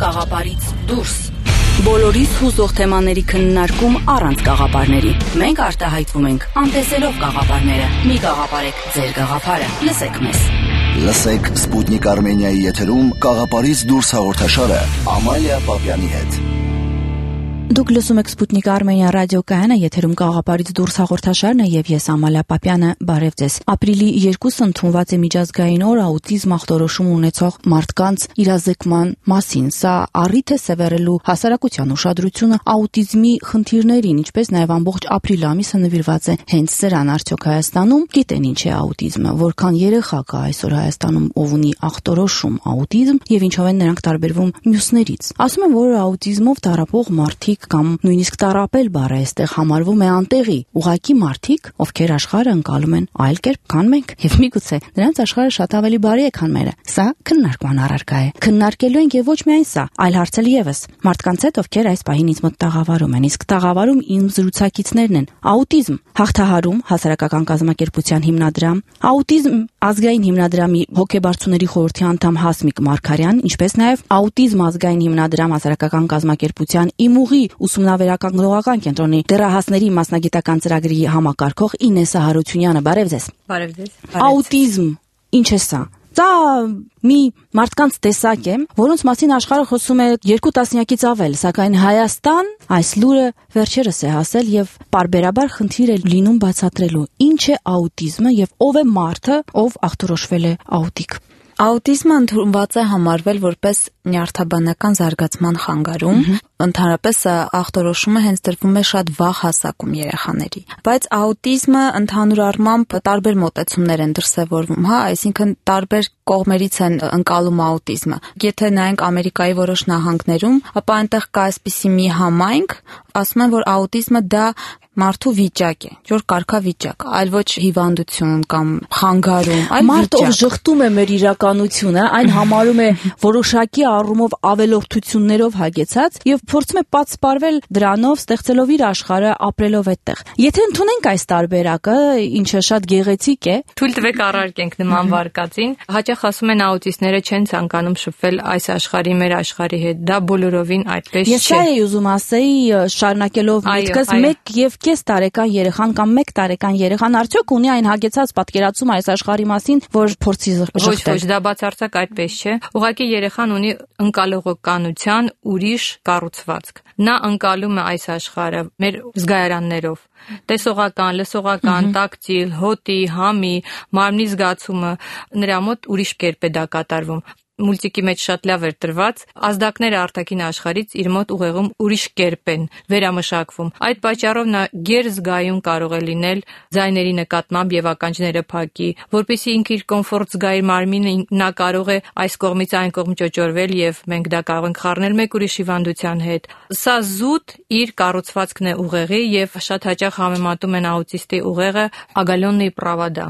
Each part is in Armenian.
կաղապարից դուրս։ Բոլորիս հուզող թեմաների քննարկում առանց կաղապարների։ Մենք արտահայտվում ենք անտեսելով կաղապարները։ Մի կաղապարեք ձեր կաղապարը։ Լսեք մեզ։ Լսեք Սպուտնիկ Արմենիայի եթերում կաղապարից դուրս հաղորդաշարը Ամալիա Պապյանի հետ։ Դուք լսում եք Սպուտնիկ Արմենիա ռադիոկայանը, եթերում կաղապարից դուրս հաղորդաշարն է եւ ես Ամալիա Պապյանը, բարև ձեզ։ Ապրիլի 2-ը ընդունված է միջազգային օր աուտիզմ ախտորոշում ունեցող մարդկանց իրազեկման մասին։ Սա առիթ է սևեռելու հասարակության ուշադրությունը աուտիզմի խնդիրներին, ինչպես նաեւ ամբողջ ապրիլ ամիսը նվիրված է հենց սրան։ Արդյոք Հայաստանում գիտեն ինչ է աուտիզմը, որքան երեխա կա այսօր Հայաստանում, ով ունի ախտորոշում աուտիզմ եւ ինչով են նրանք տարբերվում մյուսներից։ Ասում են, որ աուտիզմով տառապող մարդիկ կամ նույնիսկ տառապել բառը այստեղ համարվում է անտեղի։ Ուղղակի մարդիկ, ովքեր աշխարհը ընկալում են այլ կերպ, քան մենք, եւ միգուցե նրանց աշխարհը շատ ավելի բարի է, քան մերը։ Սա քննարկման առարկա է։ Քննարկելու ենք եւ ոչ միայն սա, այլ հարցել եւս մարդկանց հետ, ովքեր այս պահին ինձ մոտ տաղավարում են։ Իսկ տաղավարում իմ զրուցակիցներն են աուտիզմ հաղթահարում հասարակական կազմակերպության հիմնադրամ, աուտիզմ ազգային հիմնադրամի հոգեբարձուների խորհրդի անդամ Հասմիկ Մարգարյան, ինչպես նաեւ աուտիզմ ազգային հիմնադրամ հասարակական կազմակերպության իմուղի ուսումնավերական կենտրոնի դեռահասների մասնագիտական ծրագրի համակարգող Ինեսա Հարությունյանը, բարև ձեզ։ Բարև ձեզ։ Աուտիզմ ինչ է սա։ Դա մի մարդկանց տեսակ է, որոնց մասին աշխարհը խոսում է 2 տասնյակից ավել, սակայն Հայաստան այս լուրը վերջերս է հասել եւ պարբերաբար խնդիր է լինում բացատրելու ինչ է աուտիզմը եւ ով է մարդը, ով ախտորոշվել է աուտիկ։ Աուտիզմը ընդունված է համարվել որպես նյարդաբանական զարգացման խանգարում, ընդհանրապես ախտորոշումը հենց տրվում է շատ վաղ հասակում երեխաների։ Բայց աուտիզմը ընդհանուր առմամբ տարբեր մոտեցումներ են դրսևորվում, այսինքն տարբեր կողմերից են ընկալում աուտիզմը։ Եթե նայենք Ամերիկայի որոշ նահանգներում, ապա այնտեղ կա այսպիսի մի համայնք, ասում են, որ աուտիզմը դա մարդու վիճակ է, որ կարգավիճակ, այլ ոչ հիվանդություն կամ խանգարում, այլ մարդ ով վիճակ։ ժխտում է մեր իրականությունը, այն համարում է որոշակի առումով ավելորդություններով հագեցած եւ փորձում է պատսպարվել դրանով, ստեղծելով իր աշխարհը, ապրելով այդտեղ։ Եթե ընդունենք այս տարբերակը, ինչը շատ գեղեցիկ է, Թույլ տվեք առարկենք նման վարկածին։ Հաճախ ասում են աուտիստները չեն ցանկանում շփվել այս աշխարհի մեր աշխարհի հետ։ Դա բոլորովին այդպես չէ։ Ես սա էի ուզում ասեի, շարունակելով միտքս, 1.5 տարեկան երեխան կամ 1 տարեկան երեխան արդյոք ունի այն հագեցած պատկերացում այս աշխարհի մասին, որ փորձի ժխտել։ Ոչ, դա բացարձակ այդպես չէ։ Ուղղակի երեխան ունի ընկալողականության ուրիշ կառուցվածք։ Նա ընկալում է այս աշխարհը մեր զգայարաններով։ Տեսողական, լսողական, տակտիլ, հոտի, համի, մարմնի զգացումը, նրա մոտ ուրիշ կերպ է դա կատարվում։ Մուլտիկի մեջ շատ լավ էր տրված, ազդակները արտաքին աշխարհից իր մոտ ուղեղում ուրիշ կերպ են վերամշակվում։ Այդ պատճառով նա գերզգայուն կարող է լինել ձայների նկատմամբ եւ ականջները փակի, որպեսզի ինքը իր կոմֆորտ զգա իր մարմինը, նա կարող է այս կողմից այն կողմ ճոճորվել եւ մենք դա կարող ենք խառնել մեկ ուրիշ հիվանդության հետ։ Սա զուտ իր կառուցվածքն է ուղեղի եւ շատ հաճախ համեմատում են աուտիստի ուղեղը ագալոննի պրավադա։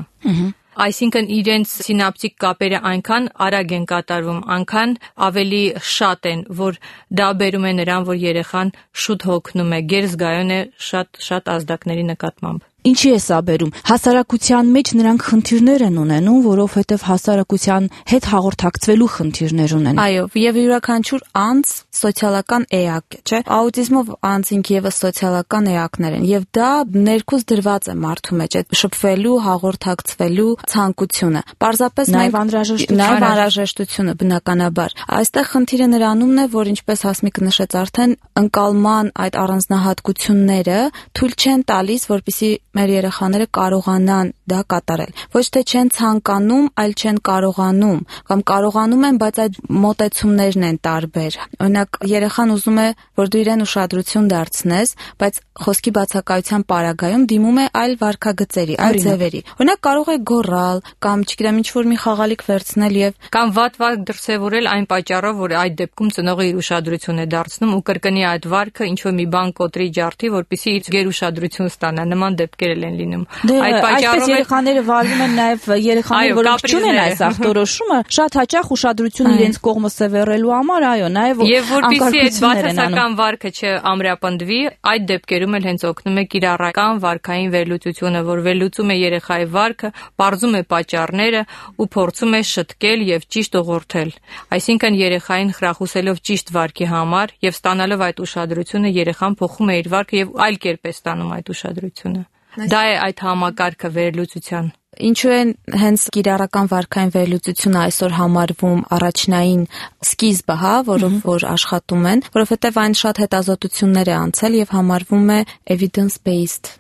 Այսինքն իրենց սինապտիկ կապերը այնքան արագ են կատարվում, այնքան ավելի շատ են, որ դա բերում է նրան, որ երեխան շուտ հոգնում է, գերզգայուն է շատ ազդակների նկատմամբ։ Ինչի է սա բերում։ Հասարակության մեջ նրանք խնդիրներ են ունենում, որովհետև հասարակության հետ հաղորդակցվելու խնդիրներ ունեն։ Այո, եւ յուրաքանչյուր անձ սոցիալական էակ է, չէ՞։ Աուտիզմով անձինք եւս սոցիալական էակներ են, եւ դա ներքուս դրված է մարդու մեջ, այդ շփվելու, հաղորդակցվելու ցանկությունը։ Պարզապես Նաեւ անհրաժեշտությունը բնականաբար։ Այստեղ խնդիրը նրանումն է, որ ինչպես Հասմիկը նշեց արդեն, ընկալման այդ առանձնահատկությունները թույլ չեն տալիս, որպեսզի մեր երեխաները կարողանան դա կատարել։ Ոչ թե չեն ցանկանում, այլ չեն կարողանում, կամ կարողանում են, բայց այդ մոտեցումներն են տարբեր։ Օրինակ, երեխան ուզում է, որ դու իրեն ուշադրություն դարձնես, բայց խոսքի բացակայության պարագայում դիմում է այլ վարքագծերի, այլ ձևերի։ Օրինակ, կարող է գոռալ, կամ չգիտեմ, ինչ-որ մի խաղալիք վերցնել եւ կամ վատ դրսևորել այն պատճառով, որ այդ դեպքում ծնողը իր ուշադրություն է դարձնում ու կրկնի այդ վարքը ինչ-որ մի բան կոտրի ջարդի, որպեսզի իր գերուշադրություն ստանա։ Նման դեպքեր դեպքեր են լինում։ Այսպես երեխաները վարվում են նաև երեխաները, որոնք չունեն այս ախտորոշումը, շատ հաճախ ուշադրությունը իրենց կողմը սևեռելու համար, այո, նաև եւ որպեսզի այդ բացասական վարքը չամրապնդվի, այդ դեպքերում էլ հենց օգնում է կիրառական վարքային վերլուծությունը, որ վերլուծում է երեխայի վարքը, բարձում է պատճառները ու փորձում է շտկել եւ ճիշտ ուղղորդել։ Այսինքն երեխային խրախուսելով ճիշտ վարքի համար եւ ստանալով այդ ուշադրությունը, երեխան փոխում է իր վարքը եւ այլ կերպ է ստանում այդ ուշադրությունը։ Դա է այդ համակարգը վերլուծության։ Ինչու է հենց կիրառական վարքային վերլուծությունը այսօր համարվում առաջնային սկիզբը, որով որ աշխատում են, որովհետև այն շատ հետազոտություններ է անցել եւ համարվում է evidence-based։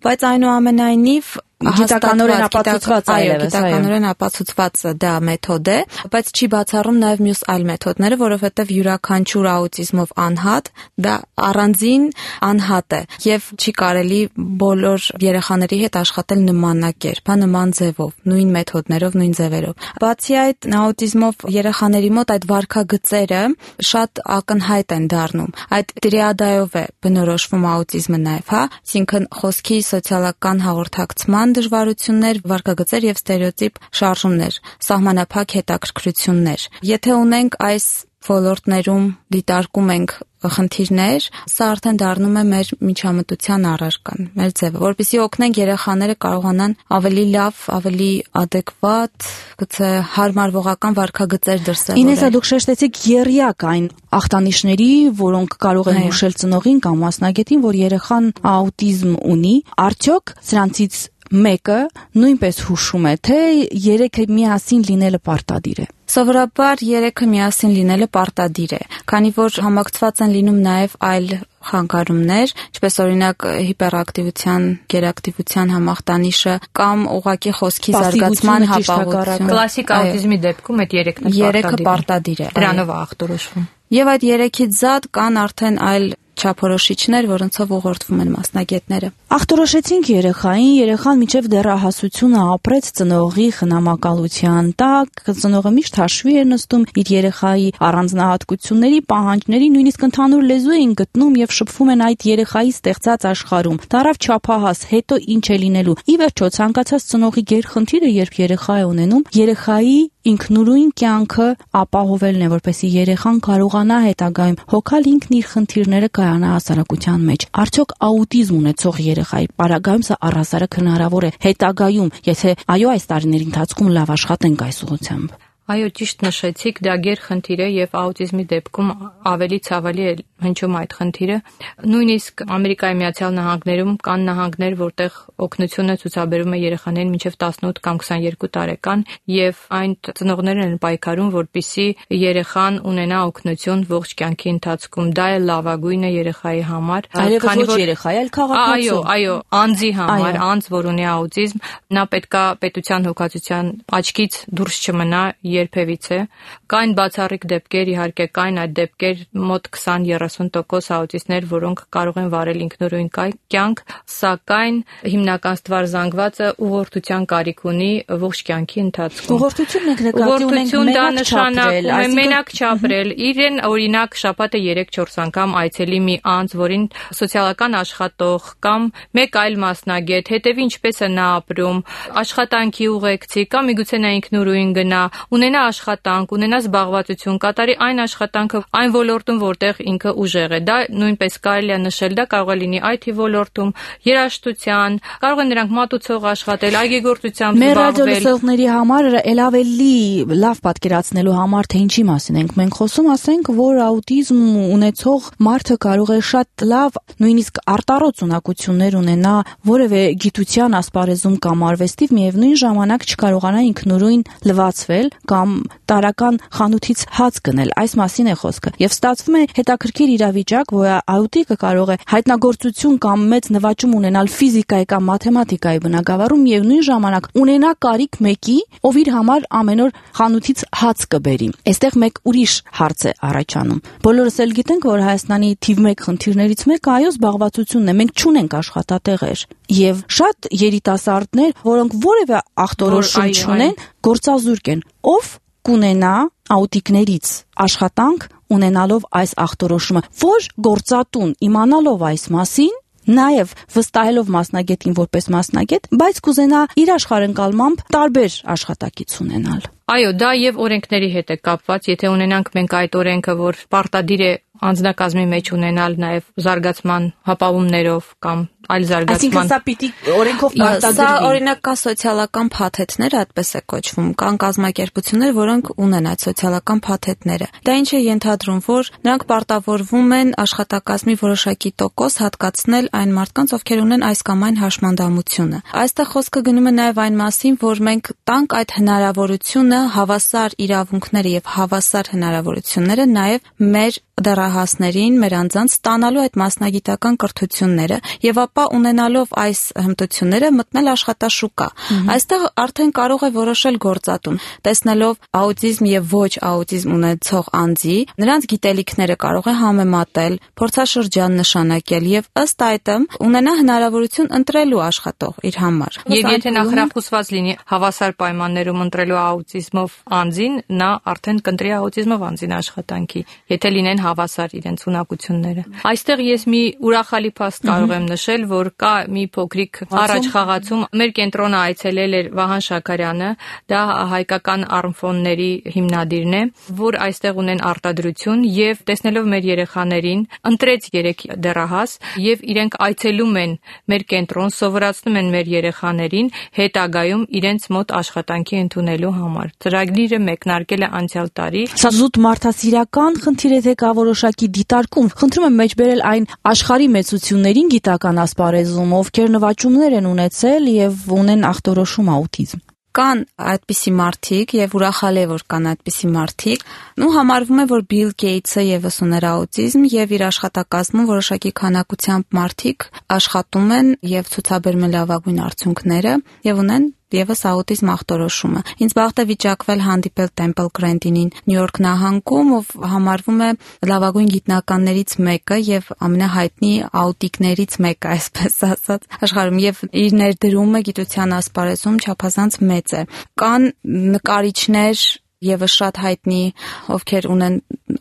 Բայց այնուամենայնիվ գիտականորեն ապացուցված գիտականորեն ապացուցված դա մեթոդ է, բայց չի բացառում նաև մյուս այլ մեթոդները, որովհետև յուրաքանչյուր աուտիզմով անհատ դա առանձին անհատ է եւ չի կարելի բոլոր երեխաների հետ աշխատել նմանակերպ, նման ձևով, նույն մեթոդներով, նույն ձևերով։ Բացի այդ, աուտիզմով երեխաների մոտ այդ վարքագծերը շատ ակնհայտ են դառնում։ Այդ տրիադայով է բնորոշվում աուտիզմը նաև, այսինքն խոսքի սոցիալական հաղորդակցման դժվարություններ, վարքագծեր եւ ստերեոտիպ շարժումներ, սահմանափակ հետաքրքրություններ։ Եթե ունենք այս ոլորտներում դիտարկում ենք խնդիրներ, սա արդեն դառնում է մեր միջամտության առարկան, մեր ձևը, որպեսզի օգնենք երեխաները կարողանան ավելի լավ, ավելի adekvat, գուցե հարմարվողական վարքագծեր դրսևորել։ Ինեսա, դուք շեշտեցիք եռյակ այն ախտանիշների, որոնք կարող են հուշել ծնողին կամ մասնագետին, որ երեխան աուտիզմ ունի, արդյոք սրանցից մեկը նույնպես հուշում է, թե երեքը միասին լինելը պարտադիր է։ Սովորաբար երեքը միասին լինելը պարտադիր է, քանի որ համակցված են լինում նաև այլ խանգարումներ, ինչպես օրինակ հիպերակտիվության, գերակտիվության համախտանիշը կամ ուղղակի խոսքի զարգացման հապաղություն։ Կլասիկ աուտիզմի դեպքում այդ երեքը պարտադիր է։ Դրանով է ախտորոշվում։ Եվ այդ երեքից զատ կան արդեն այլ չափորոշիչներ, որոնցով ուղղորդվում են մասնագետները։ Ախտորոշեցինք երեխային, երեխան մինչև դեռահասությունը ապրեց ծնողի խնամակալության տակ, ծնողը միշտ հաշվի էր նստում իր երեխայի առանձնահատկությունների, պահանջների, նույնիսկ ընդհանուր լեզու էին գտնում եւ շփվում են այդ երեխայի ստեղծած աշխարհում։ Դարավ չափահաս, հետո ինչ է լինելու։ Ի վերջո ցանկացած ծնողի գերխնդիրը, երբ երեխա է ունենում, երեխայի ինքնուրույն կյանքը ապահովելն է, որպեսզի երեխան կարողանա հետագայում հոգալ ինքն իր խնդիրները կայանա հասարակության մեջ։ Արդյոք աուտիզմ ունեցող երեխայի պարագայում սա առհասարակ հնարավոր է հետագայում, եթե այո, այս տարիների ընթացքում լավ աշխատենք այս ուղղությամբ։ Այո, ճիշտ նշեցիք, դա գերխնդիր է եւ աուտիզմի դեպքում ավելի ցավալի է հնչում այդ խնդիրը։ Նույնիսկ Ամերիկայի Միացյալ Նահանգներում կան նահանգներ, որտեղ օգնությունը ցուցաբերում է երեխաներին մինչև 18 կամ 22 տարեկան եւ այն ծնողներն են պայքարում, որպեսզի երեխան ունենա օգնություն ողջ կյանքի ընթացքում։ Դա է լավագույնը երեխայի համար, քանի որ երեխայի այլ քաղաքացու։ Այո, անձի համար, անձ, որ ունի աուտիզմ, նա պետքա պետության հոգացության աչքից դուրս չմնա երբևիցե։ Կային բացառիկ դեպքեր, իհարկե կային այդ դեպքեր, մոտ 20-30% աուտիստներ, որոնք կարող են վարել ինքնուրույն կյանք, սակայն հիմնական ստվարզանգվածը ուղղորդության կարիք ունի ողջ կյանքի ընթացքում։ Ուղղորդությունն եք նկատի ունենք մենակ չապրել, իրեն օրինակ շաբաթը 3-4 անգամ այցելի մի անձ, որին սոցիալական աշխատող կամ մեկ այլ մասնագետ հետևի ինչպես է նա ապրում, աշխատանքի ուղեկցի կամ միգուցե նա ինքնուրույն գնա, ունենա աշխատանք, ունենա զբաղվածություն, կատարի այն աշխատանքը, այն ոլորտում, որտեղ ինքը ուժեղ է։ Դա նույնպես կարելի է նշել, դա կարող է լինի IT ոլորտում, երաժշտության, կարող են նրանք մատուցող աշխատել, այգեգործությամբ զբաղվել։ Մեր ռադիոլսողների համար էլ ավելի լավ պատկերացնելու համար, թե ինչի մասին ենք մենք խոսում, ասենք, որ աուտիզմ ունեցող մարդը կարող է շատ լավ, նույնիսկ արտառոց ունակություններ ունենա որևէ գիտության ասպարեզում կամ արվեստիվ, միևնույն ժամանակ չկարողանա ինքնուրույն լվացվել կամ տարական խանութից հաց գնել, այս մասին է խոսքը։ Եվ ստացվում է հետաքրքիր իրավիճակ, որ աուտիկը կարող է հայտնագործություն կամ մեծ նվաճում ունենալ ֆիզիկայի կամ մաթեմատիկայի բնագավառում եւ նույն ժամանակ ունենա կարիք մեկի, ով իր համար ամեն օր խանութից հաց կբերի։ Այստեղ մեկ ուրիշ հարց է առաջանում։ Բոլորս էլ գիտենք, որ Հայաստանի թիվ 1 խնդիրներից մեկը այո զբաղվածությունն է։ Մենք չունենք աշխատատեղեր եւ շատ երիտասարդներ, որոնք որևէ ախտորոշում չունեն, գործազուրկ են։ Ով կունենա աուտիկներից աշխատանք ունենալով այս ախտորոշումը, որ գործատուն իմանալով այս մասին Նաև վստահելով մասնագետին որպես մասնագետ, բայց կուզենա իր աշխարհընկալմամբ տարբեր աշխատակից ունենալ։ Այո, դա եւ օրենքների հետ է կապված, եթե ունենանք մենք այդ օրենքը, որ պարտադիր է անձնակազմի մեջ ունենալ նաև զարգացման հապավումներով կամ այլ զարգացման։ Այսինքն սա պիտի օրենքով պարտադրվի։ Սա օրինակ կա սոցիալական փաթեթներ, այդպես է կոչվում, կան կազմակերպություններ, որոնք ունեն այդ սոցիալական փաթեթները։ Դա ինչ է ենթադրում, որ նրանք պարտավորվում են աշխատակազմի որոշակի տոկոս հատկացնել այն մարդկանց, ովքեր ունեն այս կամ այն հաշմանդամությունը։ Այստեղ խոսքը գնում է նաև այն մասին, որ մենք տանք այդ հնարավորությունը, հավասար իրավունքները եւ հավասար հնարավորությունները նաև մեր դեռահասներին, մեր անձանց ստանալու այդ մասնագիտական կրթությունները եւ ապա ունենալով այս հմտությունները մտնել աշխատաշուկա։ Այստեղ արդեն կարող է որոշել գործատուն, տեսնելով աուտիզմ եւ ոչ աուտիզմ ունեցող անձի, նրանց գիտելիքները կարող է համեմատել, փորձաշրջան նշանակել եւ ըստ այդմ ունենա հնարավորություն ընտրելու աշխատող իր համար։ Եվ եթե նա խրախուսված լինի հավասար պայմաններում ընտրելու աուտիզմով անձին, նա արդեն կընտրի աուտիզմով անձին աշխատանքի, եթե լինեն հավասար իրենց ունակությունները։ Այստեղ ես մի ուրախալի փաստ կարող եմ նշել, որ կա մի փոքրիկ առաջ խաղացում։ Մեր կենտրոնը այցելել էր Վահան Շաքարյանը, դա հայկական արմֆոնների հիմնադիրն է, որ այստեղ ունեն արտադրություն եւ տեսնելով մեր երեխաներին, ընտրեց 3 դեռահաս եւ իրենք այցելում են մեր կենտրոն, սովորացնում են մեր երեխաներին հետագայում իրենց մոտ աշխատանքի ընդունելու համար։ Ծրագիրը մեկնարկել է անցյալ տարի։ Սա զուտ մարդասիրական խնդիր է, թե կա որոշակի դիտարկում։ Խնդրում եմ մեջբերել այն աշխարհի մեծություններին գիտական ասպարեզում, ովքեր նվաճումներ են ունեցել եւ ունեն ախտորոշում աուտիզմ։ Կան այդպիսի մարդիկ եւ ուրախալի է, որ կան այդպիսի մարդիկ։ Համարվում է, որ Բիլ Գեյթսը եւս ուներ աուտիզմ եւ իր աշխատակազմում որոշակի քանակությամբ մարդիկ աշխատում են եւ ցուցաբերում են լավագույն արդյունքները եւ ունեն եւս աուտիզմ ախտորոշումը։ Ինձ բախտ է վիճակվել հանդիպել Temple Grandinին Նյու Յորք նահանգում, ով համարվում է լավագույն գիտնականներից մեկը եւ ամենահայտնի աուտիկներից մեկը, այսպես ասած, աշխարհում եւ իր ներդրումը գիտության ասպարեզում չափազանց մեծ է։ Կան նկարիչներ եւս շատ հայտնի, ովքեր ունեն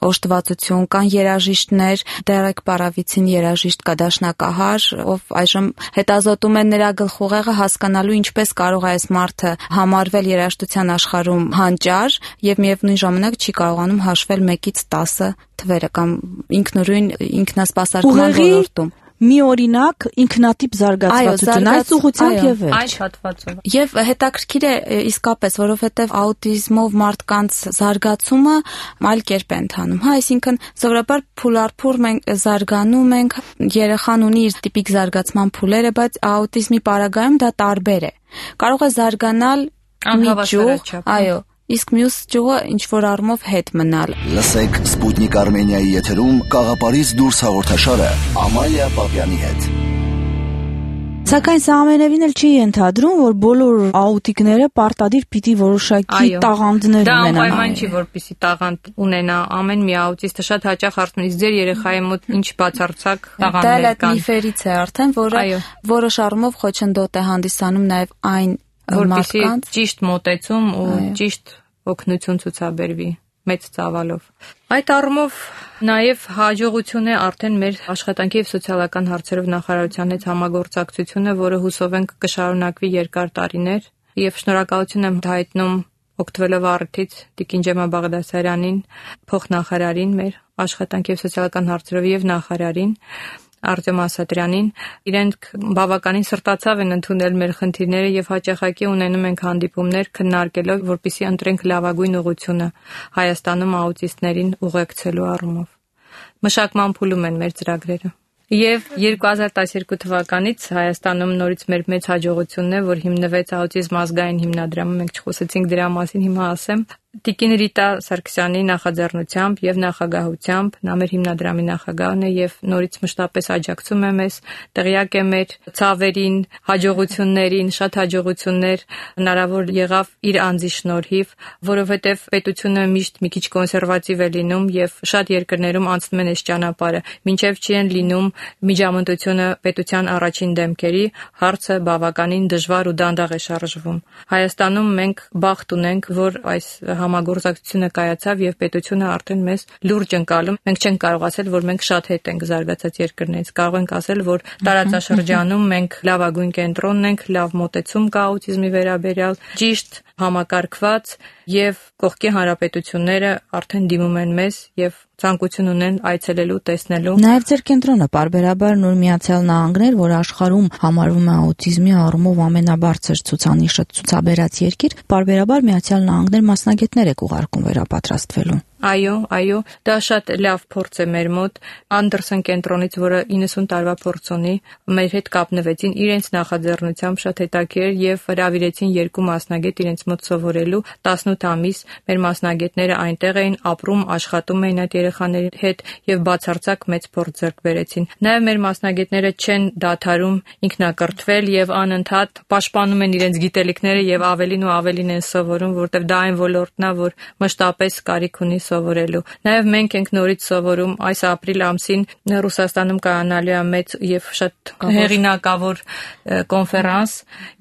օժտվածություն, կան երաժիշտներ, Դերեկ Պարավիցին երաժիշտ կա դաշնակահար, ով այժմ հետազոտում է նրա գլխուղեղը հասկանալու ինչպես կարող է այս մարդը համարվել երաժշտության աշխարհում հանճար եւ միևնույն ժամանակ չի կարողանում հաշվել 1-ից 10 թվերը կամ ինքնուրույն ինքնասպասարկման ոլորտում։ Մի օրինակ ինքնատիպ զարգացվածություն այս ուղղությամբ եւ այս հատվածով։ Եվ հետաքրքիր է իսկապես, որովհետեւ աուտիզմով մարդկանց զարգացումը այլ կերպ է ընթանում, այսինքն սովորաբար փուլարփուր մենք զարգանում ենք, երեխան ունի իր տիպիկ զարգացման փուլերը, բայց աուտիզմի պարագայում դա տարբեր է։ Կարող է զարգանալ անհավասարաչափ։ Այո, իսկ մյուս ճյուղը ինչ որ առումով հետ մնալ։ Լսեք Սպուտնիկ Արմենիայի եթերում Կաղապարից դուրս հաղորդաշարը Ամալիա Պապյանի հետ։ Սակայն սա ամենևին էլ չի ենթադրում, որ բոլոր աուտիկները պարտադիր պիտի որոշակի տաղանդներ ունենան։ Դա անպայման չի, որպեսզի տաղանդ ունենա ամեն մի աուտիստը շատ հաճախ հարցնում է, ձեր երեխայի մոտ ինչ բացարձակ տաղանդներ կան։ Դա միֆերից է արդեն, որը որոշ առումով խոչընդոտ է հանդիսանում նաև այն մարդկանց ճիշտ մոտեցում ու ճիշտ օգնություն ցուցաբերվի մեծ ծավալով։ Այդ առումով նաև հաջողություն է արդեն մեր աշխատանքի եւ սոցիալական հարցերով նախարարության հետ համագործակցությունը, որը հուսով ենք կշարունակվի երկար տարիներ եւ շնորհակալություն եմ հայտնում օգտվելով առիթից Տիկին Ջեմա Բաղդասարյանին, փոխնախարարին մեր աշխատանքի եւ սոցիալական հարցերով եւ նախարարին Արտյոմ Ասատրյանին, իրենք բավականին սրտացավ են ընդունել մեր խնդիրները եւ հաճախակի ունենում ենք հանդիպումներ քննարկելով, որպեսզի ընտրենք լավագույն ուղղությունը Հայաստանում աուտիստներին ուղեկցելու առումով։ Մշակման փուլում են մեր ծրագրերը։ Եվ 2012 թվականից Հայաստանում նորից մեր մեծ հաջողությունն է, որ հիմնվեց աուտիզմ ազգային հիմնադրամը, մենք չխոսեցինք դրա մասին, հիմա ասեմ։ Տիկին Ռիտա Սարգսյանի նախաձեռնությամբ եւ նախագահությամբ, նա մեր հիմնադրամի նախագահն է եւ նորից մշտապես աջակցում է մեզ, տեղյակ է մեր ցավերին, հաջողություններին, շատ հաջողություններ հնարավոր եղավ իր անձի շնորհիվ, որովհետեւ պետությունը միշտ մի քիչ կոնսերվատիվ է լինում եւ շատ երկրներում անցնում են այս ճանապարհը, մինչեւ չի են լինում միջամտությունը պետության առաջին դեմքերի, հարցը բավականին դժվար ու դանդաղ է շարժվում։ Հայաստանում մենք բախտ ունենք, որ այս համագործակցությունը կայացավ եւ պետությունը արդեն մեզ լուրջ ընկալում։ Մենք չենք կարող ասել, որ մենք շատ հետ ենք զարգացած երկրներից։ Կարող ենք ասել, որ տարածաշրջանում մենք լավագույն կենտրոնն ենք, լավ մոտեցում կա աուտիզմի վերաբերյալ, ճիշտ համակարգված եւ կողքի հանրապետությունները արդեն դիմում են մեզ եւ ցանկություն ունեն այցելելու, տեսնելու։ Նաեւ ձեր կենտրոնը պարբերաբար Նոր Միացյալ Նահանգներ, որ աշխարհում համարվում է աուտիզմի առումով ամենաբարձր ցուցանիշը ցուցաբերած երկիր, պարբերաբար Միացյալ Նահանգներ մասնագետներ եք ուղարկում վերապատրաստվելու։ Այո, դա շատ լավ փորձ է մեր մոտ։ Անդերսեն կենտրոնից, որը 90 տարվա փորձ ունի, մեր հետ կապնվեցին իրենց նախաձեռնությամբ շատ հետաքրքիր եւ հրավիրեցին 2 մասնագետ իրենց մոտ սովորելու 18 ամիս։ Մեր մասնագետները այնտեղ էին ապրում, աշխատում էին այդ երեխաների հետ եւ բացարձակ մեծ փորձ ձեռք բերեցին։ Նաեւ մեր մասնագետները չեն դադարում ինքնակրթվել եւ անընդհատ պաշտպանում են իրենց գիտելիքները եւ ավելին ու ավելին են սովորում, որտեղ դա այն ոլորտն է, որ մշտապես կարիք ունի սովորելու։ Նաև մենք ենք նորից սովորում այս ապրիլ ամսին Ռուսաստանում կայանալու է մեծ եւ շատ հեղինակավոր կոնֆերանս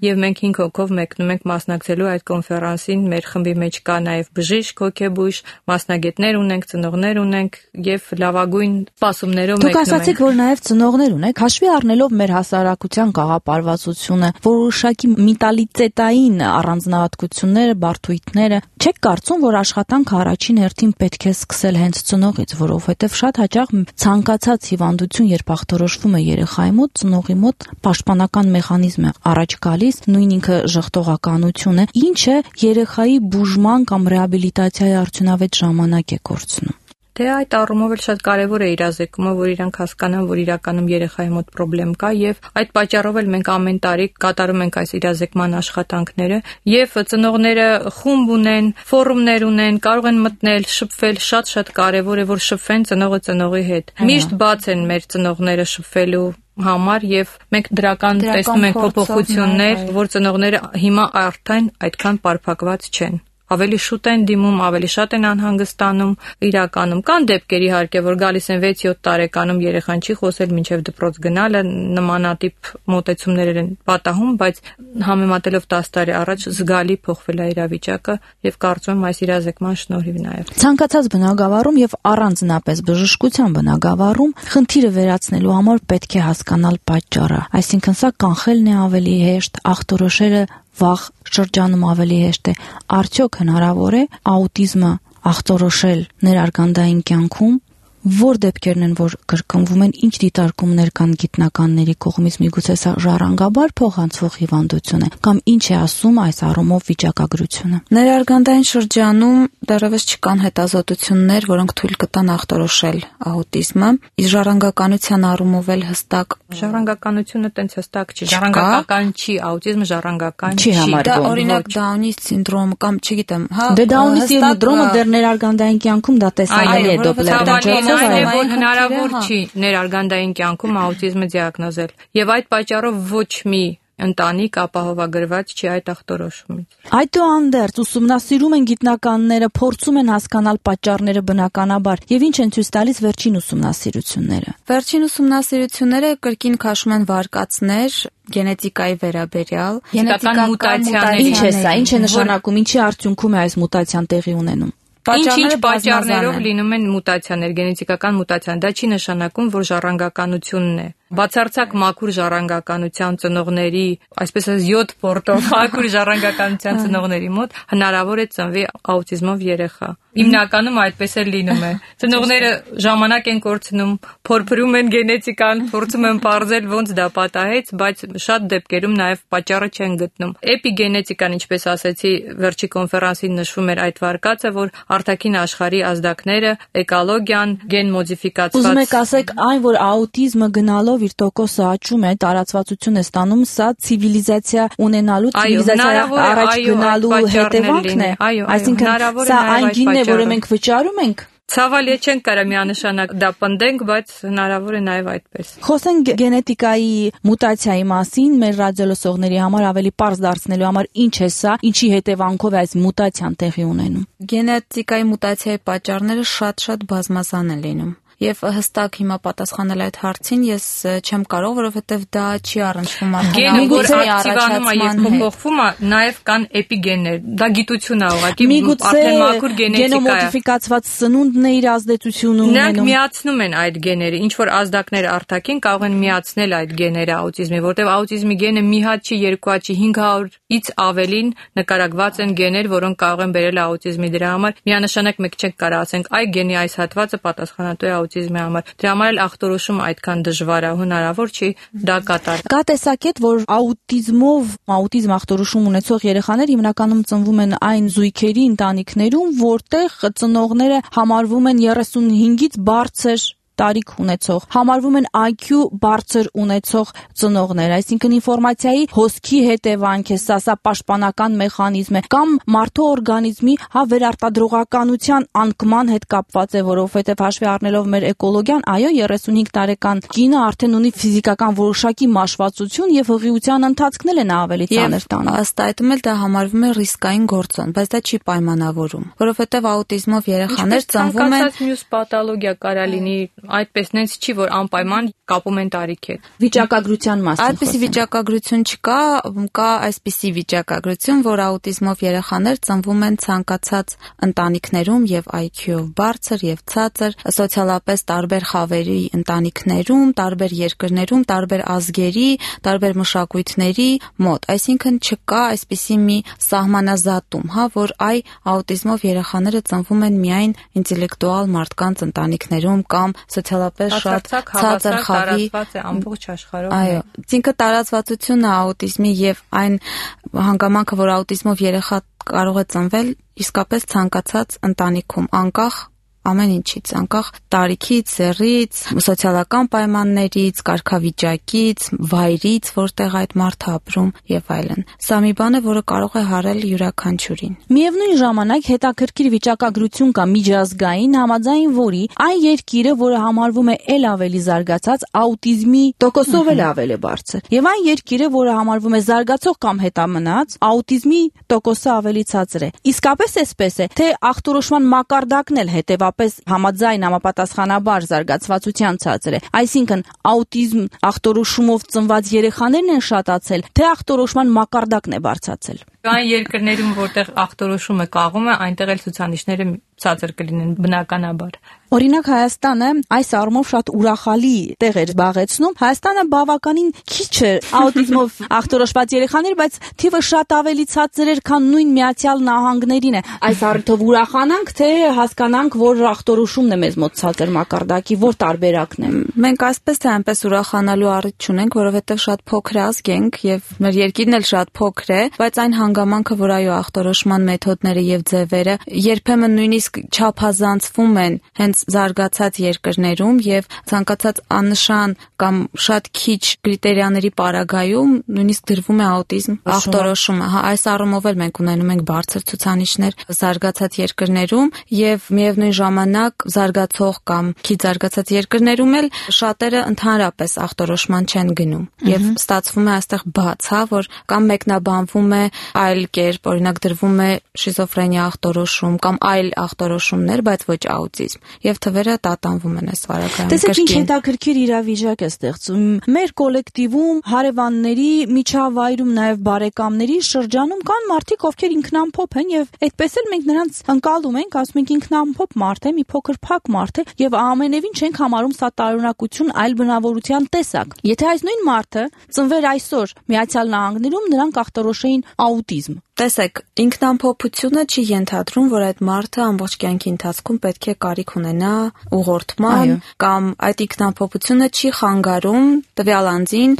եւ մենք 5 հոգով մեկնում ենք մասնակցելու այդ կոնֆերանսին։ Մեր խմբի մեջ կա նաև բժիշկ, հոգեբույժ, մասնագետներ ունենք, ծնողներ ունենք եւ լավագույն սպասումներով մեկնում ենք։ Դուք ասացիք, որ նաև ծնողներ ունեք, հաշվի առնելով մեր հասարակության գաղափարվածությունը, որոշակի միտալիծետային առանձնահատկությունները, բարդույթները, չեք կարծում, որ աշխատանքը առաջին հերթին պետք է սկսել հենց ծնողից, որովհետև շատ հաճախ ցանկացած հիվանդություն, երբ ախտորոշվում է երեխայի մոտ, ծնողի մոտ պաշտպանական մեխանիզմ է առաջ գալիս, նույն ինքը ժխտողականություն է, ինչը երեխայի բուժման կամ ռեաբիլիտացիայի արդյունավետ ժամանակ է կորցնում։ Դե այդ առումով էլ շատ կարևոր է իրազեկումը, որ իրանք հասկանան, որ իրականում երեխայի մոտ խնդրեմ կա եւ այդ պատճառով էլ մենք ամեն տարի կատարում ենք այս իրազեկման աշխատանքները եւ ծնողները խումբ ունեն, ֆորումներ ունեն, կարող են մտնել, շփվել, շատ կարևոր է որ շփվեն ծնողը ծնողի հետ։ Միշտ բաց են մեր ծնողները շփվելու համար եւ մենք դրական տեսնում ենք փոփոխություններ, որ ծնողները հիմա արդեն այդքան պարփակված չեն։ Ավելի շուտ են դիմում, ավելի շատ են անհանգստանում, իրականում կան դեպքեր իհարկե, որ գալիս են 6-7 տարեկանում երեխան չի խոսել մինչև դպրոց գնալը, նմանատիպ մոտեցումներ են պատահում, բայց համեմատելով 10 տարի առաջ զգալի փոխվել է իրավիճակը եւ կարծում եմ այս իրազեկման շնորհիվ նաեւ։ Ցանկացած բնագավառում եւ առանձնապես բժշկության բնագավառում խնդիրը վերացնելու համար պետք է հասկանալ պատճառը, այսինքն սա կանխելն է ավելի հեշտ, ախտորոշելը վաղ շրջանում ավելի հեշտ է։ Արդյոք հնարավոր է աուտիզմը ախտորոշել ներարգանդային կյանքում, որ դեպքերն են, որ կրկնվում են, ինչ դիտարկումներ կան գիտնականների կողմից, միգուցե սա ժառանգաբար փոխանցվող հիվանդություն է, կամ ինչ է ասում այս առումով վիճակագրությունը։ Ներարգանդային շրջանում դեռևս չկան հետազոտություններ, որոնք թույլ կտան ախտորոշել աուտիզմը, իսկ ժառանգականության առումով էլ հստակ ժառանգականությունը տենց հստակ չի, ժառանգական չի, աուտիզմը ժառանգական չի համարվում։ Դա օրինակ Դաունի սինդրոմ կամ չգիտեմ, հա։ Դե Դաունի սինդրոմը դեռ ներարգանդային կյանքում դա տեսանելի է դոպլերը։ Այն է, որ հնարավոր չի ներարգանդային կյանքում աուտիզմը դիագնոզել եւ այդ պատճառով ոչ մի ընտանիք ապահովագրված չի այդ ախտորոշումից։ Այդուհանդերձ ուսումնասիրում են գիտնականները, փորձում են հասկանալ պատճառները բնականաբար եւ ինչ են ցույց տալիս վերջին ուսումնասիրությունները։ Վերջին ուսումնասիրությունները կրկին քաշում են վարկածներ գենետիկայի վերաբերյալ, գենետիկական մուտացիաներ։ Ինչ է սա, ինչ է նշանակում, ինչի արդյունքում է այս մուտացիան տեղի ունենում։ Ինչ պատճառներով լինում են մուտացիաներ, գենետիկական մուտացիաներ, դա չի նշանակում, որ ժառանգականությունն է։ Բացարձակ մաքուր ժառանգականության ծնողների, այսպես ասած 7 պորտով մաքուր ժառանգականության ծնողների մոտ հնարավոր է ծնվի աուտիզմով երեխա։ Հիմնականում այդպես էլ լինում է։ Ծնողները ժամանակ են կորցնում, փորփրում են գենետիկան, փորձում են պարզել ոնց դա պատահեց, բայց շատ դեպքերում նաև պատճառը չեն գտնում։ Էպիգենետիկան, ինչպես ասացի, վերջի կոնֆերանսին նշվում էր այդ վարկածը, որ արտաքին աշխարհի ազդակները, էկոլոգիան, գեն մոդիֆիկացված։ Ուզում եք ասեք, այն որ աուտիզմը գնալով իր տոկոսը աճում է, տարածվածություն է ստանում, սա ցիվիլիզացիա ունենալու, ցիվիլիզացիա առաջ գնալու հետևանքն է։ Այսինքն սա այն գինն է, որը մենք վճարում ենք։ Ցավալի չենք կարող միանշանակ դա պնդենք, բայց հնարավոր է նաև այդպես։ Խոսենք գենետիկայի մուտացիայի մասին, մեր ռադիոլսողների համար ավելի պարզ դարձնելու համար ինչ է սա, ինչի հետևանքով է այս մուտացիան տեղի ունենում։ Գենետիկայի մուտացիայի պատճառները շատ բազմազան են լինում։ Եւ հստակ հիմա պատասխանել այդ հարցին ես չեմ կարող, որովհետեւ դա չի առնչվում արդեն որ ակտիվանում է եւ փոփոխվում է, նաեւ կան էպիգեններ։ Դա գիտություն է ուղղակի, արդեն մաքուր գենետիկա է։ Գենոմոդիֆիկացված սնունդն է իր ազդեցությունը ունենում։ Նրանք միացնում են այդ գեները, ինչ որ ազդակներ արտաքին կարող են միացնել այդ գեները աուտիզմի, որտեղ աուտիզմի գենը մի հատ չի, երկու հատ չի, 500-ից ավելին նկարագրված են գեներ, որոնք կարող են բերել աուտիզմի։ Դրա համար միանշանակ մեկ չենք կարող ասենք, այ գենի այս հատվածը պատասխանատու է աուտիզմի համար։ Դրա համար էլ ախտորոշումը այդքան դժվար է, հնարավոր չի դա կատարել։ Կա տեսակետ, որ աուտիզմ ախտորոշում ունեցող երեխաներ հիմնականում ծնվում են այն զույգերի ընտանիքներում, որտեղ ծնողները համարվում են 35-ից բարձր տարիք ունեցող, համարվում են IQ բարձր ունեցող ծնողներ, այսինքն ինֆորմացիայի հոսքի հետևանք է, սա պաշտպանական մեխանիզմ է, կամ մարդու օրգանիզմի վերարտադրողականության անկման հետ կապված է, որովհետև հաշվի առնելով մեր էկոլոգիան, այո, 35 տարեկան կինը արդեն ունի ֆիզիկական որոշակի մաշվածություն եւ հղիության ընթացքն էլ է նա ավելի ծանր տանում։ Ըստ այդմ էլ դա համարվում է ռիսկային գործոն, բայց դա չի պայմանավորում, որովհետև աուտիզմով երեխաներ ծնվում են մյուս պաթոլոգիա կարա լինի, այդպես նենց չի, որ անպայման կապում են տարիքի հետ։ Վիճակագրության մասին։ Այդպիսի վիճակագրություն չկա, կա այսպիսի վիճակագրություն, որ աուտիզմով երեխաներ ծնվում են ցանկացած ընտանիքներում եւ IQ-ով բարձր եւ ցածր, սոցիալապես տարբեր խավերի ընտանիքներում, տարբեր երկրներում, տարբեր ազգերի, տարբեր մշակույթների մոտ։ Այսինքն չկա այսպիսի մի սահմանազատում, որ աուտիզմով երեխաները ծնվում են միայն ինտելեկտուալ մարդկանց ընտանիքներում կամ սոցիալապես շատ ցածր խավի ամբողջ աշխարհով։ Այո, ինքը տարածվածությունը աուտիզմի եւ այն հանգամանքը, որ աուտիզմով երեխա կարող է ծնվել իսկապես ցանկացած ընտանիքում, անկախ ամեն ինչից, անկախ տարիքից, սեռից, սոցիալական պայմաններից, կարգավիճակից, վայրից, որտեղ այդ մարդը ապրում եւ այլն։ Սա մի բան է, որը կարող է հարել յուրաքանչյուրին։ Միևնույն ժամանակ հետաքրքիր վիճակագրություն կա միջազգային, համաձայն որի այն երկիրը, որը համարվում է ել ավելի զարգացած, աուտիզմի տոկոսով էլ ավելի բարձր, եւ այն երկիրը, որը համարվում է զարգացող կամ հետամնաց, աուտիզմի տոկոսը ավելի ցածր է։ Իսկապես էսպես է, թե ախտորոշման մակարդակն էլ հետեւապես համաձայն համապատասխանաբար զարգացվածության ցածր է։ Այսինքն աուտիզմ ախտորոշումով ծնված երեխաներն են շատացել, թե ախտորոշման մակարդակն է բարձրացել։ Կան երկրներում, որտեղ ախտորոշումը կաղում է, այնտեղ էլ ցուցանիշները ցածր կլինեն բնականաբար։ Օրինակ Հայաստանը այս առումով շատ ուրախալի տեղ էր զբաղեցնում։ Հայաստանը բավականին քիչ է աուտիզմով ախտորոշված երեխաներ, բայց թիվը շատ ավելի ցածր էր, քան նույն Միացյալ Նահանգներին է։ Այս առիթով ուրախանանք, թե հասկանանք, որ ախտորոշումն է մեզ մոտ ցածր մակարդակի, որ տարբերակն է։ Մենք այսպես թե այնպես ուրախանալու առիթ չունենք, որովհետև շատ փոքր ազգ ենք եւ մեր երկիրն էլ շատ փոքր է, բայց այն հանգամանքը, որ այո ախտորոշման մեթոդները եւ ձևերը երբեմն նույնիսկ չափազանցվում են հենց զարգացած երկրներում եւ ցանկացած աննշան կամ շատ քիչ կրիտերիաների պարագայում նույնիսկ դրվում է աուտիզմ ախտորոշումը։ Այս առումով էլ մենք ունենում ենք բարձր ցուցանիշներ զարգացած երկրներում եւ միևնույն ժամանակ զարգացող կամ քիչ զարգացած երկրներում էլ շատերը ընդհանրապես ախտորոշման չեն գնում եւ ստացվում է այստեղ բաց, որ կամ մեկնաբանվում է այլ կերպ, օրինակ դրվում է շիզոֆրենիա ախտորոշում կամ այլ ախտորոշումներ, բայց ոչ աուտիզմ եւ թվերը տատանվում են այս վարակայում։ Տեսեք, ինչ հետաքրքիր իրավիճակ է ստեղծում։ Մեր կոլեկտիվում հարևանների, միջավայրում նաեւ բարեկամների շրջանում կան մարդիկ, ովքեր ինքնամփոփ են եւ այդպես էլ մենք նրանց ընկալում ենք, ասում ենք ինքնամփոփ մարդ է, մի փոքր փակ մարդ է եւ ամենևին չենք համարում սա տարօրինակություն, այլ բնավորության տեսակ։ Եթե այս նույն մարդը ծնվեր այսօր Միացյալ Նահանգներում, նրանք ախտորոշեին աուտիզմ։ Տեսեք, ինքնամփոփությունը չի ենթադրում, որ այդ մարդը ամբողջ կյանքի ընթացքում պետք է կարիք ունենա ուղղորդման կամ այդ ինքնամփոփությունը չի խանգարում տվյալ անձին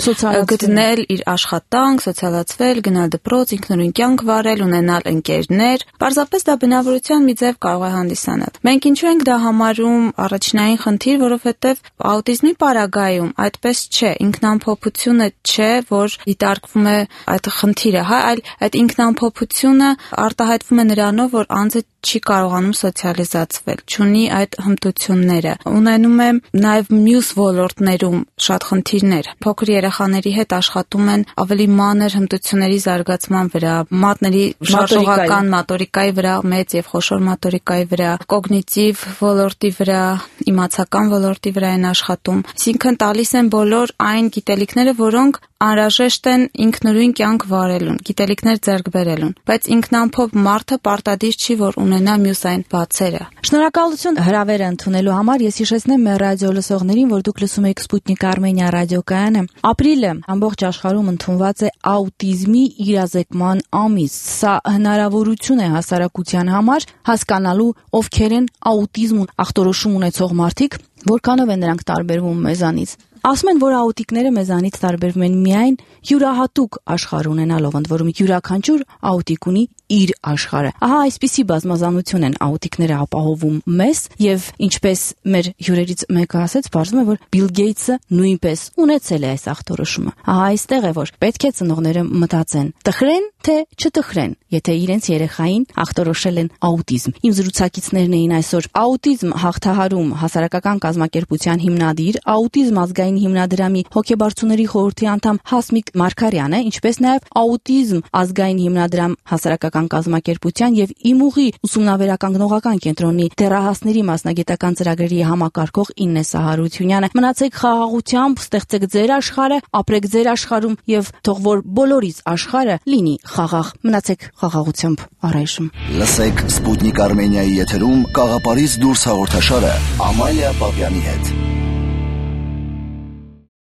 գտնել իր աշխատանք, սոցիալացվել, գնալ դպրոց, ինքնուրույն կյանք վարել, ունենալ ընկերներ։ Պարզապես դա բնավորության մի ձև կարող է հանդիսանալ։ Մենք ինչու ենք դա համարում առաջնային խնդիր, որովհետև աուտիզմի պարագայում այդպես չէ, ինքնամփոփությունը չէ, որ դիտարկվում է այդ խնդիրը, այլ այդ ինքնամփոփությունը արտահայտվում է նրանով, որ անձը չի կարողանում սոցիալիզացվել, չունի այդ հմտությունները, ունենում է նաև մյուս ոլորտներում շատ խնդիրներ։ Փոքր երեխաների հետ աշխատում են ավելի մանր հմտությունների զարգացման վրա, մատների շարժողական մոտորիկայի վրա, մեծ եւ խոշոր մոտորիկայի վրա, կոգնիտիվ ոլորտի վրա, իմացական ոլորտի վրա են աշխատում։ Այսինքն տալիս են բոլոր այն գիտելիքները, որոնք անհրաժեշտ են ինքնուրույն կյանք վարելուն, գիտելիքներ ձեռք բերելուն, բայց ինքնամփոփ մարդը պարտադիր չի, որ ունենա մյուս այն բացերը։ Շնորհակալություն հրավերը ընդունելու համար։ Ես հիշեցնեմ մեր ռադիո լսողներին, որ դուք լսում եք Սպուտնիկ Արմենիա ռադիոկայանը։ Ապրիլը ամբողջ աշխարհում ընդունված է աուտիզմի իրազեկման ամիս։ Սա հնարավորություն է հասարակության համար հասկանալու ովքեր են աուտիզմ ախտորոշում ունեցող մարդիկ, որքանով են նրանք տարբերվում մեզանից։ Ասում են, որ աուտիկները մեզանից տարբերվում են միայն յուրահատուկ աշխարհ ունենալով, ընդ որում յուրաքանչյուր աուտիկ ունի իր աշխարհը։ Ահա այսպիսի բազմազանություն են աուտիկները ապահովում մեզ, եւ ինչպես մեր հյուրերից մեկը ասեց, բարձում է, որ Բիլ Գեյթսը նույնպես ունեցել է այս ախտորոշումը։ Ահա այստեղ է, որ պետք է ծնողները մտածեն, տխրեն թե չտխրեն, եթե իրենց երեխային ախտորոշել են աուտիզմ։ Իմ զրուցակիցներն էին այսօր աուտիզմ հաղթահարում հասարակական կազմակերպության հիմնադիր, աուտիզմ ազգային հիմնադրամի հոգեբարձուների խորհրդի անդամ Հասմիկ Մարգարյանը, ինչպես նաև աուտիզմ ազգային հիմնադրամ հասարակական կազմակերպության եւ Իմուղի ուսումնավերականգնողական կենտրոնի դեռահասների մասնագիտական ծրագրերի համակարգող Իննե Սահարությունյանը։ Մնացեք խաղաղությամբ, ստեղծեք ձեր աշխարհը, ապրեք ձեր աշխարհում եւ թող որ բոլորիս աշխարհը լինի խաղաղ։ Մնացեք խաղաղությամբ առայժմ։ Լսեք Սպուտնիկ Արմենիայի եթերում Կաղապարից դուրս հաղորդաշարը Ամալիա Պապյանի հետ։